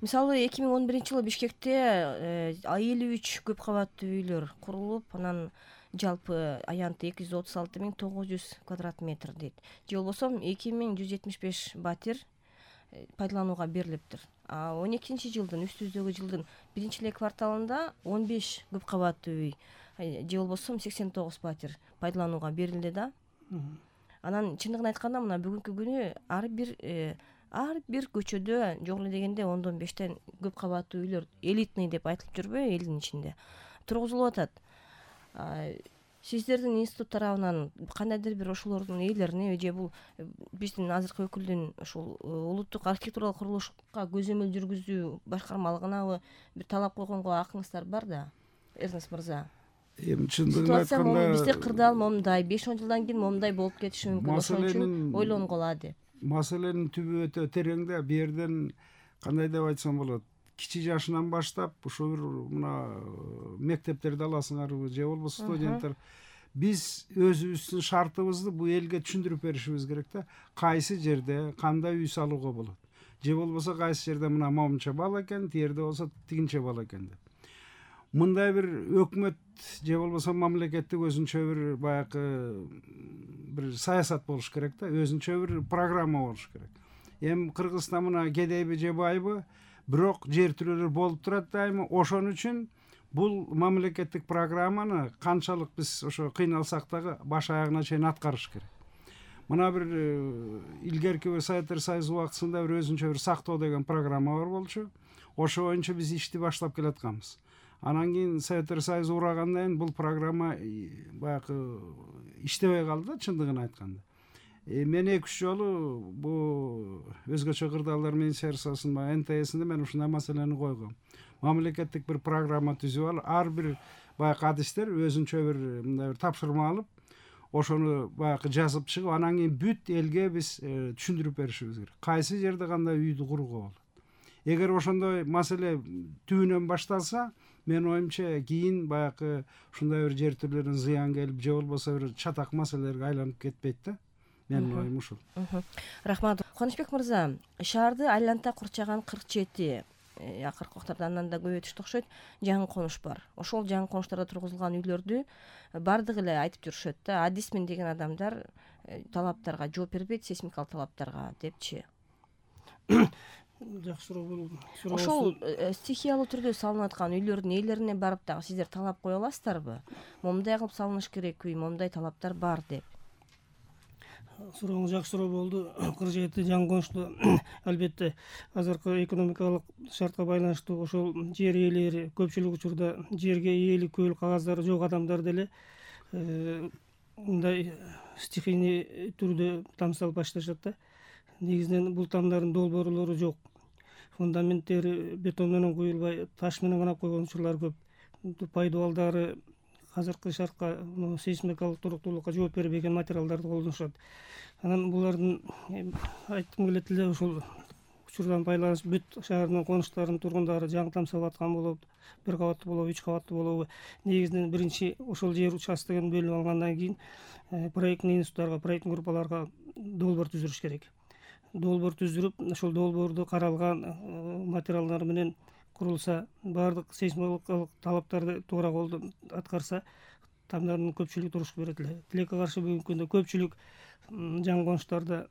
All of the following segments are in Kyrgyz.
Мисалы 2011-жылы Бишкекте 53 көп кабаттуу үйлөр курулуп, анан жалпы аянты 236.900 квадрат метр дейт. Же болбосо 2175 батир пайдаланууга берилиптир. 12-жылдын үстүбүздөгү жылдын 1-эле кварталында 15 көп кабаттуу үй же болбосо 89 батир пайдаланууга берилди да. Анан чындыгын айтканда мына бүгүнкү күнү ар бир көчөдө жок эле дегенде 10-5тен көп кабаттуу үйлөр элитный деп айтылып жүрбөйбү элдин ичинде тургузулуп атат. Сиздердин институт тарабынан кандайдыр бир ошолордун ээлерине же бул биздин азыркы өкүлдүн ушул улуттук архитектуралык курулушка көзөмөл жүргүзүү башкармалыгынабы бир талап койгонго акыңыздар бар да, Эрнест мырза? Эми чындыгын айтканда бизде кырдаал момундай 5-10 жылдан кийин момундай болуп кетиши мүмкүн, ошон үчүн ойлонгула деп. Маселенин түбү өтө терең да. Бу жерден кандай деп айтсам болот, кичи жашынан баштап ушул бир мына мектептерди аласыңарбы же болбосо студенттер, биз өзүбүздүн шартыбызды бул элге түшүндүрүп беришибиз керек да. Кайсы жерде кандай үй салууга болот, же болбосо кайсы жерде мына момунча бала экен, тиерде болсо тигинче бала экен деп. Мындай бир өкмөт же болбосо мамлекеттик өзүнчө бир баягы бир саясат болуш керек да, өзүнчө бир программа болуш керек. Эми Кыргызстан мына кедейби же байбы, бирок жер тилөөлөр болуп турат дайыма. Ошон үчүн бул мамлекеттик программаны канчалык биз ошо кыйналсак дагы баш аягына чейин аткарыш керек. Мына бир илгерки бир Советтер Союзу убактысында бир өзүнчө бир сактоо деген программа бар болчу. Ошо боюнча биз ишти баштап келатканбыз. Анан кийин Советтер Союзу урагандан кийин бул программа баягы иштебей калды да, чындыгын айтканда. Мен 2-3 жолу бул өзгөчө кырдаалдар министерствосунун НТСинде мен ушундай маселени койгом. Мамлекеттик бир программа түзүп алып, ар бир баягы адистер өзүнчө бир мындай бир тапшырма алып, ошону баягы жазып чыгып, анан кийин бүт элге биз түшүндүрүп беришибиз керек. Кайсы жерде кандай үйдү курууга болот. Эгер ошондой маселе түбүнөн башталса, мен оюмча кийин баягы ушундай бир жер түрлөрүнө зыян келип, же болбосо бир чатак маселелерге айланып кетпейт да. Менин оюм ушул. Рахмат. Кубанычбек мырза, шаарды айланта курчаган 47 акыркы убактарда андан да көбөйтүштү окшойт жаңы конуш бар. Ошол жаңы конуштарда тургузулган үйлөрдү бардыгы эле айтып жүрүшөт да, адисмин деген адамдар талаптарга жооп бербейт, сейсмикалык талаптарга депчи. Жакшы суроо болду. Ошол стихиялуу түрдө салынып аткан үйлөрдүн ээлерине барып дагы сиздер талап кое аласыздарбы? Момундай кылып салыныш керек үй, момундай талаптар бар деп. Сурооңуз жакшы суроо болду. 47 жаңы конушту албетте азыркы экономикалык шартка байланыштуу ошол жер ээлери көпчүлүк учурда жерге ээлик көөл кагаздары жок адамдар деле мындай стихийный түрдө там салып башташат да. Негизинен бул тамдардын долбоорлору жок. Фундаменттери бетон менен куюлбай, таш менен канап койгон учурлар көп. Пайдубалдары азыркы шартка, сейсмикалык туруктуулукка жооп бербеген материалдарды колдонушат. Анан булардын айткым келет эле ушул учурдан пайдаланып бүт шаардын конуштарынын тургундары жаңы там салып аткан болобу, 1 кабаттуу болобу, 3 кабаттуу болобу, негизинен биринчи ошол жер участогун бөлүп алгандан кийин проектный институттарга, проектный группаларга долбоор түзүрүш керек. Долбоор түзүрүп, ошол долбоордо каралган материалдар менен курулса, баардык сейсмикалык талаптарды туура аткарса, тамдардын көпчүлүгү турушуп берет эле. Тилекке каршы бүгүнкү күндө көпчүлүк жаңы конуштарда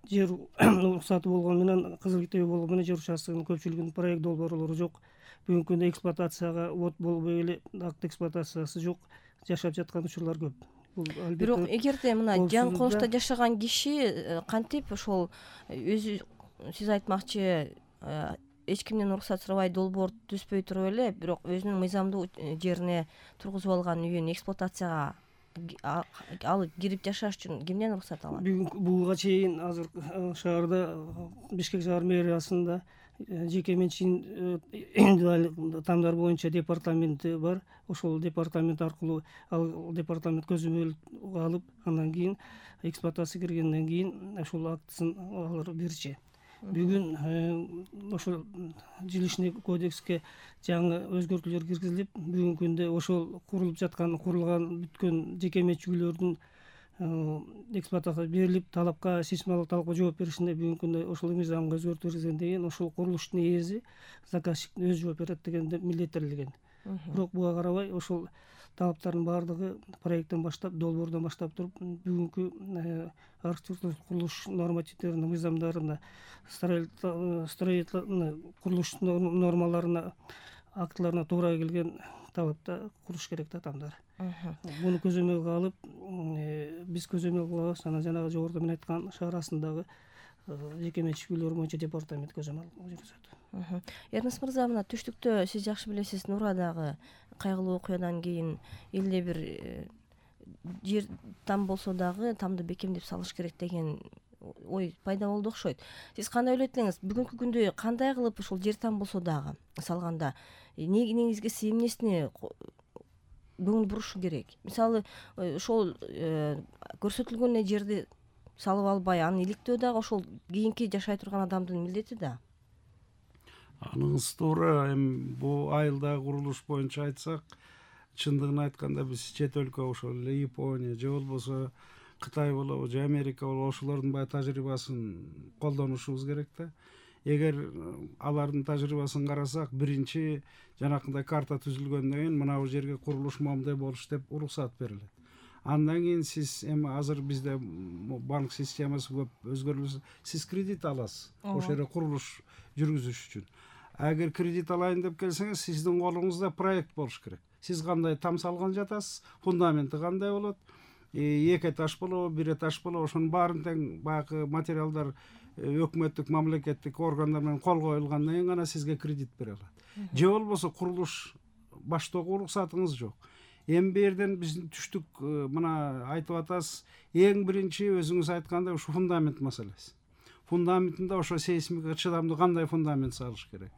жер уруксаты болгону менен, кызыл китеби болгону менен жер участогунун көпчүлүгүнүн проект долбоорлору жок. Бүгүнкү күндө эксплуатацияга от болбой эле, акт эксплуатациясы жок, жашап жаткан учурлар көп. Бирок эгерде мына жаңы конушта жашаган киши кантип ошол өзү сиз айтмакчы эч кимден уруксат сурабай долбоор түзбөй туруп эле, бирок өзүнүн мыйзамдуу жерине тургузуп алган үйүн эксплуатацияга алып кирип жашаш үчүн кимден уруксат алат? Буга чейин азыр шаарда Бишкек шаар мэриясында жеке менчик тамдар боюнча департаменти бар. Ошол департамент аркылуу ал департамент көзөмөл алып, андан кийин эксплуатация киргенден кийин ошол актысын алар берчү. Бүгүн ошол жилищный кодекске жаңы өзгөртүүлөр киргизилип, бүгүнкү күндө ошол курулуп жаткан, курулган бүткөн жеке менчик үйлөрдүн эксплуатацияга берилип, талапка, сейсмологдук талапка жооп беришинде бүгүнкү күндө ошол мыйзамга өзгөртүү киргизген деген ошол курулуштун ээси заказчик өзү жооп берет дегенде милдеттелген. Бирок буга карабай ошол талаптардын баардыгы проекттен баштап, долбоордон баштап туруп бүгүнкү архитектурлук курулуш нормативдеринин мыйзамдарына, строительный курулуш нормаларына, актыларына туура келген талапта курулуш керек да адамдар. Буну көзөмөлгө алып, биз көзөмөл кылабыз. Анан жанагы жогоруда мен айткан шаар астындагы жеке менчик үйлөр боюнча департамент көзөмөл жүргүзөт. Эрнест мырза, мына түштүктө сиз жакшы билесиз, Нурадагы кайгылуу окуядан кийин элде бир жер там болсо дагы тамды бекемдеп салыш керек деген ой пайда болду окшойт. Сиз кандай ойлойт элеңиз? Бүгүнкү күндө кандай кылып ушул жер там болсо дагы салганда негизгиси эмнесине көңүл бурушу керек? Мисалы, ошол көрсөтүлгөн жерди салып албай, аны иликтөө дагы ошол кийинки жашай турган адамдын милдети да. Аныңыз туура. Эми бул айылдагы курулуш боюнча айтсак, чындыгын айтканда биз чет өлкө, ошол эле Япония же болбосо Кытай болобу же Америка болобу, ошолордун баягы тажрыйбасын колдонушубуз керек да. Эгер алардын тажрыйбасын карасак, биринчи жанакындай карта түзүлгөндөн кийин мына бул жерге курулуш момундай болуш деп уруксат берилет. Андан кийин сиз эми азыр бизде банк системасы көп өзгөрүлсө, сиз кредит аласыз ошол жерде курулуш жүргүзүш үчүн. Эгер кредит алайын деп келсеңиз, сиздин колуңузда проект болуш керек. Сиз кандай там салган жатасыз, фундаменти кандай болот, 2 этаж болобу, 1 этаж болобу, ошонун баарын тең баягы материалдар өкмөттүк, мамлекеттик органдар менен кол коюлгандан кийин гана сизге кредит бере алат. Же болбосо курулуш баштоого уруксатыңыз жок. Эми бу жерден биздин түштүк мына айтып атасыз, эң биринчи өзүңүз айткандай ушу фундамент маселеси. Фундаментинде ошо сейсмикага чыдамдуу кандай фундамент салыш керек.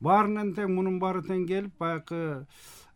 Баарынан тең, мунун баары тең келип, баягы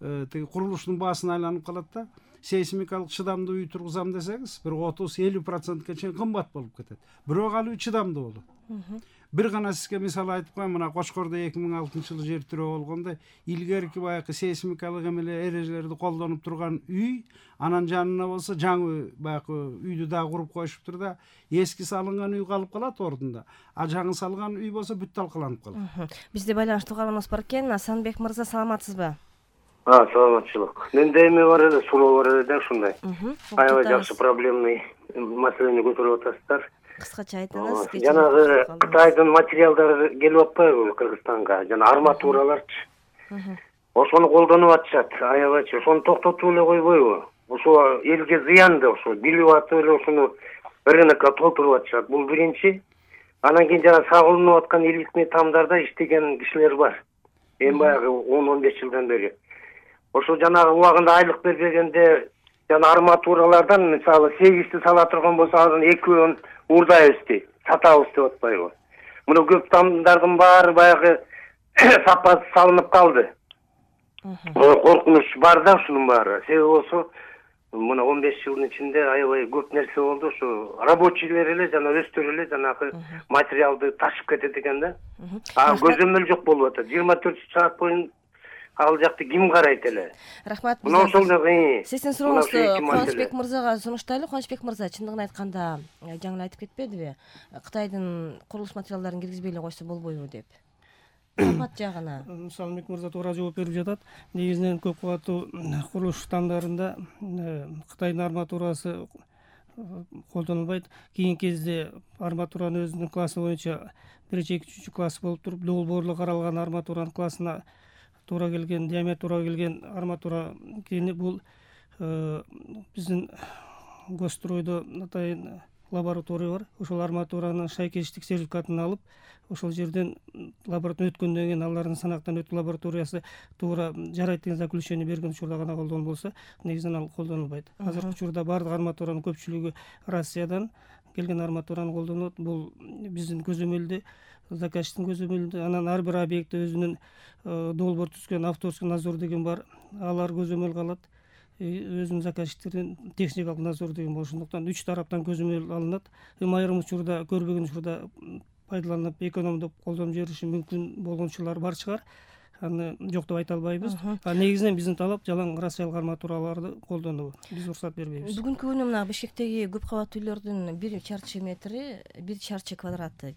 тиги курулуштун баасына айланып калат да. Сейсмикалык чыдамдуу үй тургузам десеңиз, бир 30-50% чейин кымбат болуп кетет. Бирок ал үй чыдамдуу болот. Бир гана сизге мисал айтып коеюн, мына Кочкордо 2006-жылы жер тирөө болгондо илгерки баягы сейсмикалык эмеле эрежелерди колдонуп турган үй, анан жанына болсо жаңы баягы үйдү дагы куруп коюшуптур да, эски салынган үй калып калат ордунда. А жаңы салган үй болсо бүт талкаланып калат. Бизде байланыштуу угарманыбыз бар экен. Асанбек мырза, саламатсызбы? Саламатчылык. Менде эме бар эле, суроо бар эле да, ушундай. Аябай жакшы проблемный маселени көтөрүп атасыздар. Кыскача айтыңыз. Жанагы Кытайдын материалдары келип атпайбы Кыргызстанга? Жана арматураларчы. Ошону колдонуп атышат. Аябайчы. Ошону токтотуп эле койбойбу? Ошо элге зыяндуу, ошо билип атып эле ошону рынокко толтуруп атышат. Бул биринчи. Анан кийин жана сагылынып аткан иликтүү тамдарда иштеген кишилер бар. Эми баягы 10-15 жылдан бери. Ошо жанагы убагында айлык бербегенде жана арматуралардан мисалы 8ти сала турган болсо, анан 2-өн уурдайбыз дейт, сатабыз деп атпайбы? Муну көп тамдардын баары баягы сапасы салынып калды. Коркунуч бар да ушунун баары. Себеби болсо, мына 15 жылдын ичинде аябай көп нерсе болду. Ошо рабочийлер эле жана өздөрү эле жанагы материалды ташып кетет экен да. Көзөмөл жок болуп атат. 24 саат боюнча ал жакты ким карайт эле? Рахмат. Мына ошол сиздин сурооңузду Кубанычбек мырзага сунуштайлы. Кубанычбек мырза, чындыгын айтканда жаңы эле айтып кетпедиби? Кытайдын курулуш материалдарын киргизбей эле койсо болбойбу деп. Сапат жагына. Салымбек мырза туура жооп берип жатат. Негизинен көп кабаттуу курулуш тамдарында Кытайдын арматурасы колдонулбайт. Кийинки кезде арматуранын өзүнүн классы боюнча 1-2-3 класс болуп туруп, долбоорлу каралган арматуранын классына туура келген, диаметр туура келген арматура кийини бул биздин Госстройдо атайын лаборатория бар. Ошол арматуранын шайкештик сертификатын алып, ошол жерден лабораториядан өткөндөн кийин алардын санактан өтүү лабораториясы туура жарайт деген заключение берген учурда гана колдонуп болсо, негизинен ал колдонулбайт. Азыркы учурда бардык арматуранын көпчүлүгү Россиядан келген арматураны колдонот. Бул биздин көзөмөлдө, заказчиктин көзөмөлүндө, анан ар бир объектте өзүнүн долбоор түзгөн авторский надзор деген бар. Алар көзөмөлгө алат. Өзүнүн заказчиктердин техникалык надзор деген бар. Ошондуктан 3 тараптан көзөмөл алынат. Айрым учурда, көрбөгөн учурда пайдаланып, экономдоп колдонуп жибериши мүмкүн болгон учурлар бар чыгар. аны жок деп айта албайбыз. Негизинен биздин талап жалаң рассиялык арматураларды колдонуу. Биз уруксат бербейбиз. Бүгүнкү күнү мына Бишкектеги көп кабаттуу үйлөрдүн 1 чарчы метри, 1 чарчы квадраты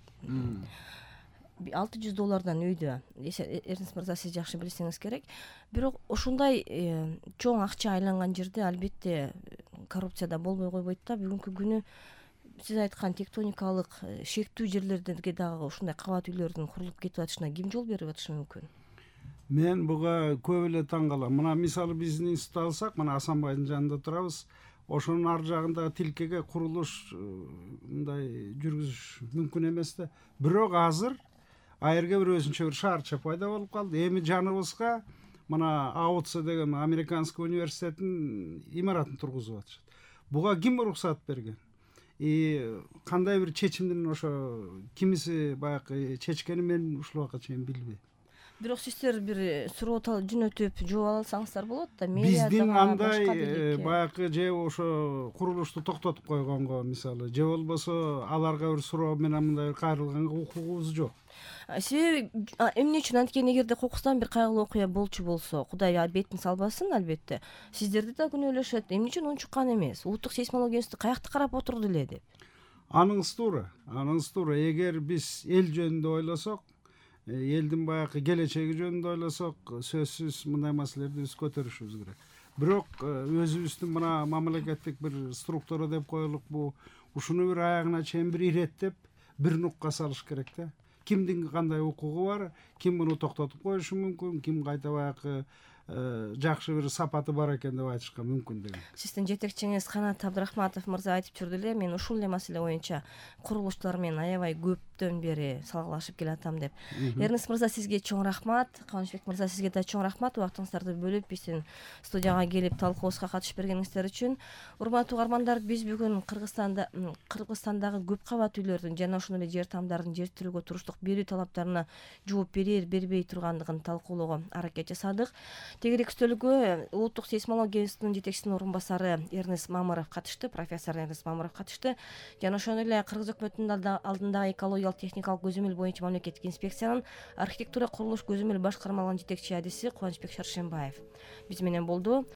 $600 үйдө. Эрнест мырза, сиз жакшы билсеңиз керек. Бирок ошондой чоң акча айланган жерде албетте коррупция да болбой койбойт да. Бүгүнкү күнү сиз айткан тектоникалык шектүү жерлердеги дагы ушундай кабат үйлөрдүн курулуп кетип атышына ким жол берип атышы мүмкүн? Мен буга көп эле таң калам. Мына мисалы биздин институтты алсак, мына Асанбайдын жанында турабыз. Ошонун ар жагында тилкеге курулуш мындай жүргүзүш мүмкүн эмес да. Бирок азыр айырга бир өзүнчө бир шаарча пайда болуп калды. Эми жаныбызга мына АУЦ деген Американский университеттин имаратын тургузуп атышат. Буга ким уруксат берген? Кандай бир чечимдин ошо кимиси баягы чечкени мен ушул убакка чейин билбейм. Бирок сиздер бир суроо жөнөтүп жооп ала алсаңыздар болот да. Биздин андай баягы же ошо курулушту токтотуп койгонго мисалы, же болбосо аларга бир суроо менен мындай кайрылганга укугубуз жок. Себеби эмне үчүн анткени эгерде кокустан бир кайгылуу окуя болчу болсо, Кудай бетин салбасын, албетте, сиздерди да күнөөлөшөт. Эмне үчүн унчуккан эмес? Улуттук сейсмология институту каякта карап отурду эле деп. Аныңыз туура. Эгер биз эл жөнүндө ойлосок, элдин баягы келечеги жөнүндө ойлосок, сөзсүз мындай маселелерди биз көтөрүшүбүз керек. Бирок өзүбүздүн мына мамлекеттик бир структура деп коелук, бу ушуну бир аягына чейин бир иреттеп, бир нукка салыш керек да. Кимдин кандай укугу бар, ким муну токтотуп коюшу мүмкүн, ким кайта баягы жакшы бир сапаты бар экен деп айтышка мүмкүн деген. Сиздин жетекчиңиз Канат Абдрахматов мырза айтып жүрдү эле, мен ушул эле маселе боюнча курулуштар менен аябай көптөн бери салгылашып келатам деп. Эрнест мырза, сизге чоң рахмат. Кубанычбек мырза, сизге да чоң рахмат убактыңыздарды бөлүп биздин студияга келип талкуубузга катышып бергениңиздер үчүн. Урматтуу угармандар, биз бүгүн Кыргызстандагы көп кабат үйлөрдүн жана ошондой эле жер тамдардын жер тилөөгө туруштук берүү талаптарына жооп бербей тургандыгын талкуулоого аракет жасадык. Тегерек стөлгө Улуттук сейсмология институтунун жетекчисинин орун басары Эрнест Мамыров катышты, профессор Эрнест Мамыров катышты. Жана ошондой эле Кыргыз өкмөтүнүн алдындагы экологиялык техникалык көзөмөл боюнча мамлекеттик инспекциянын архитектура курулуш көзөмөл башкармалыгынын жетекчи адиси Кубанычбек Шаршембаев биз менен болду.